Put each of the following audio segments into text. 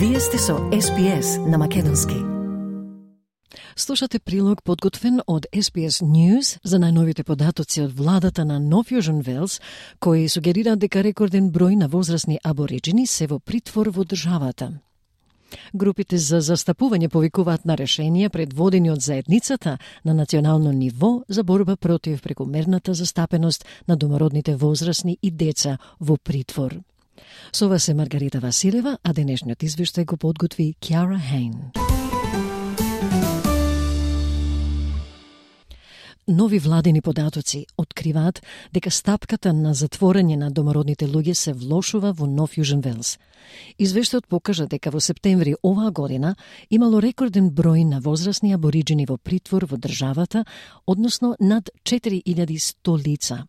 Вие сте со SPS на македонски. Слушате прилог подготвен од SPS News за најновите податоци од владата на Нов Јужен Велс, кои сугерираат дека рекорден број на возрастни абориджини се во притвор во државата. Групите за застапување повикуваат на решенија предводени од заедницата на национално ниво за борба против прекомерната застапеност на домородните возрастни и деца во притвор. Со вас е Маргарита Василева, а денешниот извештај го подготви Кјара Хейн. Нови владени податоци откриваат дека стапката на затворање на домородните луѓе се влошува во Нов Јужен Велс. Извештајот покажа дека во септември оваа година имало рекорден број на возрастни абориджини во притвор во државата, односно над 4100 лица.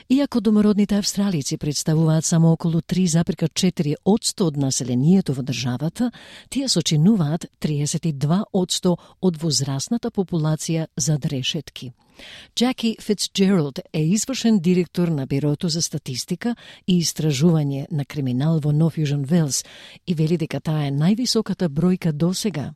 Иако домородните австралици представуваат само околу 3,4% од населението во државата, тие сочинуваат 32% од возрастната популација зад решетки. Джаки Фицджералд е извршен директор на Бирото за статистика и истражување на криминал во Нов Јужен Велс и вели дека таа е највисоката бројка досега.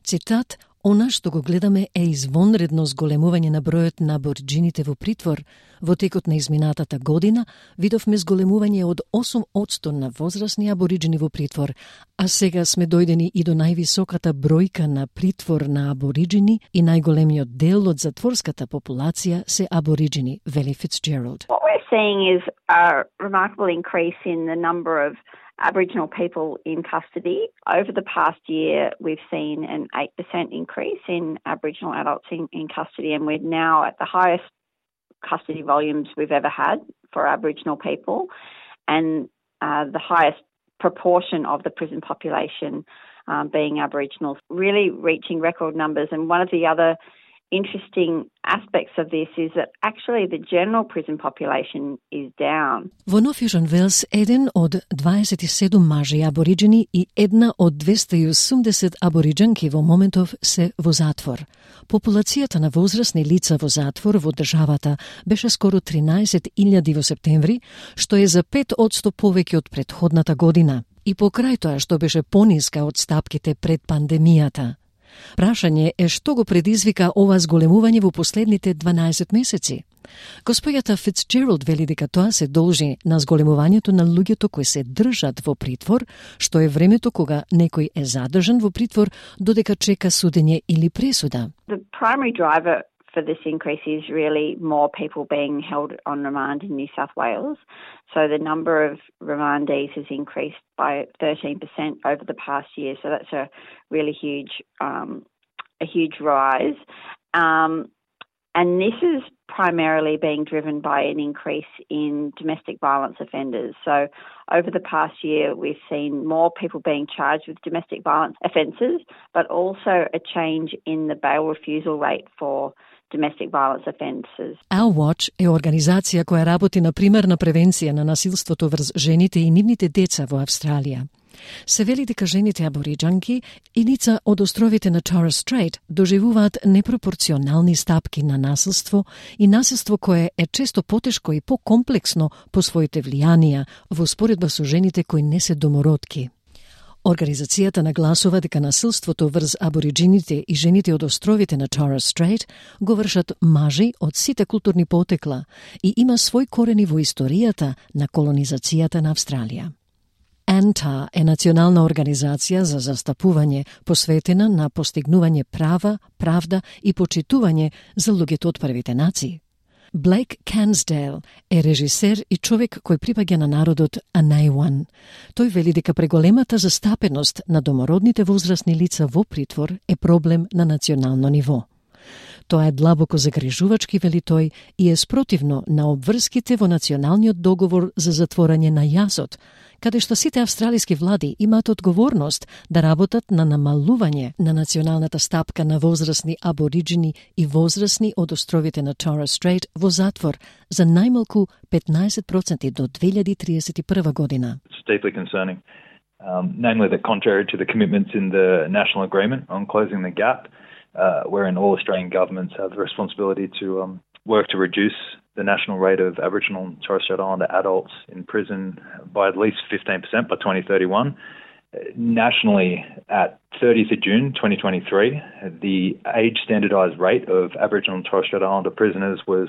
Цитат: "Она што го гледаме е извонредно зголемување на бројот на абориджините во притвор. Во текот на изминатата година видовме зголемување од 8% на возрастни абориджини во притвор, а сега сме дојдени и до највисоката бројка на притвор на абориджини и најголемиот дел од затворската популација се абориджини", вели Фицджералд. What we're seeing is a remarkable increase in the number of Aboriginal people in custody. Over the past year, we've seen an 8% increase in Aboriginal adults in custody, and we're now at the highest custody volumes we've ever had for Aboriginal people, and the highest proportion of the prison population being Aboriginal, really reaching record numbers. And one of the other interesting aspects of this is that actually the general prison population is down. Во Нов Јужен Велс, еден од 27 мажи абориджини и една од 280 абориджанки во моментов се во затвор. Популацијата на возрастни лица во затвор во државата беше скоро 13.000 во септември, што е за 5% повеќе од претходната година. И покрај тоа што беше пониска од стапките пред пандемијата. Прашање е што го предизвика ова зголемување во последните 12 месеци. Господјата Фицджералд вели дека тоа се должи на зголемувањето на луѓето кои се држат во притвор, што е времето кога некој е задржан во притвор додека чека судење или пресуда. The primary driver for this increase is really more people being held on remand in New South Wales. So the number of remandees has increased by 13% over the past year. So that's a really huge rise. And this is primarily being driven by an increase in domestic violence offenders. So over the past year, we've seen more people being charged with domestic violence offences, but also a change in the bail refusal rate for domestic violence offences. Our Watch е организација која работи на примерна превенција на насилството врз жените и нивните деца во Австралија. Се вели дека жените абориджанки и лица од островите на Torres Strait доживуваат непропорционални стапки на насилство и насилство кое е често потешко и покомплексно по своите влијанија во споредба со жените кои не се домородки. Организацијата нагласува дека насилството врз абориджините и жените од островите на Torres Strait го вршат мажи од сите културни потекла и има свој корени во историјата на колонизацијата на Австралија. ANTA е национална организација за застапување посветена на постигнување права, правда и почитување за луѓето од првите нации. Блейк Кансдейл е режисер и човек кој припаѓа на народот Анејуан. Тој вели дека преголемата застапеност на домородните возрастни лица во притвор е проблем на национално ниво. Тоа е длабоко загрижувачки, вели тој, и е спротивно на обврските во националниот договор за затворање на јазот, каде што сите австралиски влади имаат одговорност да работат на намалување на националната стапка на возрастни абориджини и возрастни од островите на Torres Strait во затвор за најмалку 15% до 2031 година. It's deeply concerning, namely that contrary to the commitments in the National Agreement on Closing the Gap, wherein all Australian governments have the responsibility to work to reduce the national rate of Aboriginal and Torres Strait Islander adults in prison by at least 15% by 2031. Nationally, at 30th of June 2023, the age standardised rate of Aboriginal and Torres Strait Islander prisoners was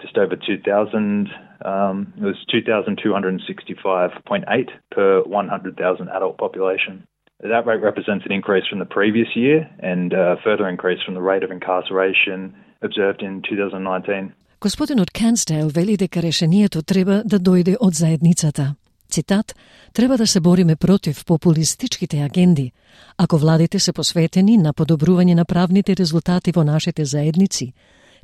just over 2,000. It was 2,265.8 per 100,000 adult population. That rate represents an increase from the previous year and a further increase from the rate of incarceration observed in 2019. Господинот Кенсдейл вели дека решението треба да дојде од заедницата. Цитат, треба да се бориме против популистичките агенди. Ако владите се посветени на подобрување на правните резултати во нашите заедници,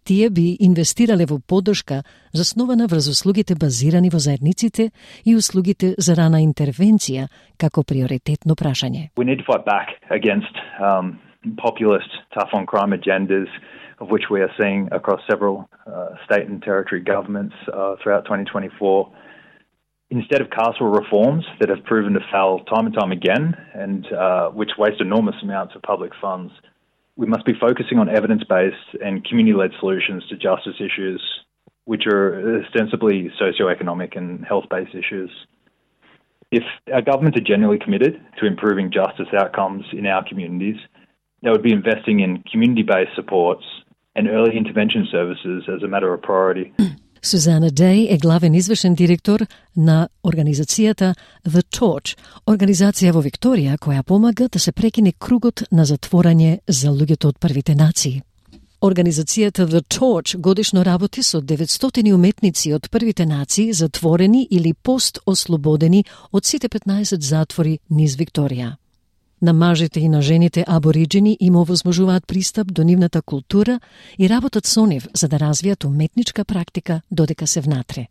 тие би инвестирале во поддршка заснована врз услугите базирани во заедниците и услугите за рана интервенција како приоритетно прашање. We need to fight back against populist tough on crime agendas of which we are seeing across several state and territory governments throughout 2024. Instead of carceral reforms that have proven to fail time and time again and which waste enormous amounts of public funds, we must be focusing on evidence-based and community-led solutions to justice issues, which are ostensibly socio-economic and health-based issues. If our governments are genuinely committed to improving justice outcomes in our communities, they would be investing in community-based supports and early intervention services as a matter of priority. Сузана Дей е главен извршен директор на организацијата The Torch, организација во Викторија која помага да се прекине кругот на затворање за луѓето од првите нации. Организацијата The Torch годишно работи со 900 уметници од првите нации затворени или пост-ослободени од сите 15 затвори низ Викторија. На мажите и на жените абориджини им овозможуваат пристап до нивната култура и работат со нив за да развијат уметничка практика додека се внатре.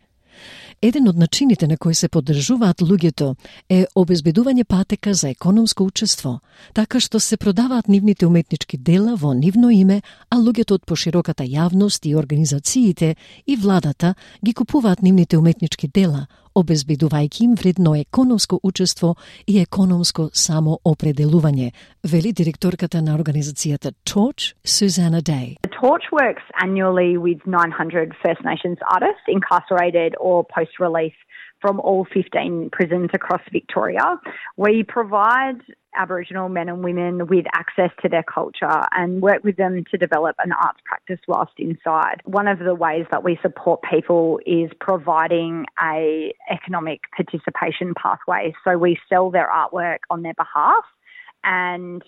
Еден од начините на кои се поддржуваат луѓето е обезбедување патека за економско учество, така што се продаваат нивните уметнички дела во нивно име, а луѓето од пошироката јавност и организациите и владата ги купуваат нивните уметнички дела, обезбедувајќи им вредно економско учество и економско самоопределување, вели директорката на организацијата Torch, Suzana Day. The Torch works annually with 900 First Nations artists incarcerated or post-release from all 15 prisons across Victoria. We provide Aboriginal men and women with access to their culture and work with them to develop an arts practice whilst inside. One of the ways that we support people is providing a economic participation pathway. So we sell their artwork on their behalf, and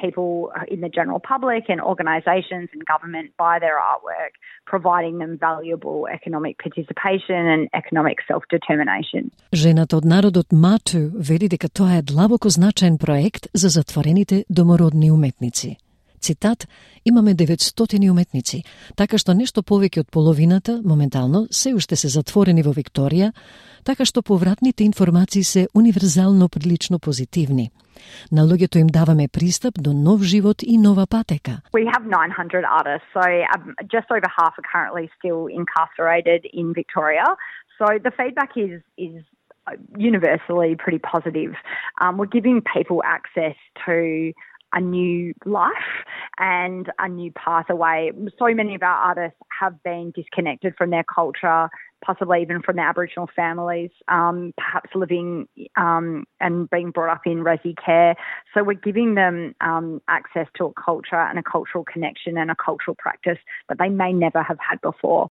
people in the general public and organisations and government buy their artwork, providing them valuable economic participation and economic self-determination. Жената од народот Мату вели дека тоа е длабоко значаен проект за затворените домородни уметници. Цитат, имаме 900 уметници, така што нешто повеќе од половината, моментално, се уште се затворени во Викторија, така што повратните информации се универзално прилично позитивни. На луѓето им даваме пристап до нов живот и нова патека. We have 900 artists, so just over half are currently still incarcerated in Victoria. So the feedback is universally pretty positive. We're giving people access to a new life and a new pathway. So many of our artists have been disconnected from their culture, possibly even from their Aboriginal families, perhaps living and being brought up in resi care. So we're giving them access to a culture and a cultural connection and a cultural practice that they may never have had before.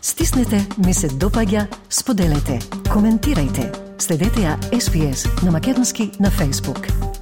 Стиснете, ми се допаѓа, споделете, коментирајте. Следете ја SPS на Македонски на Facebook.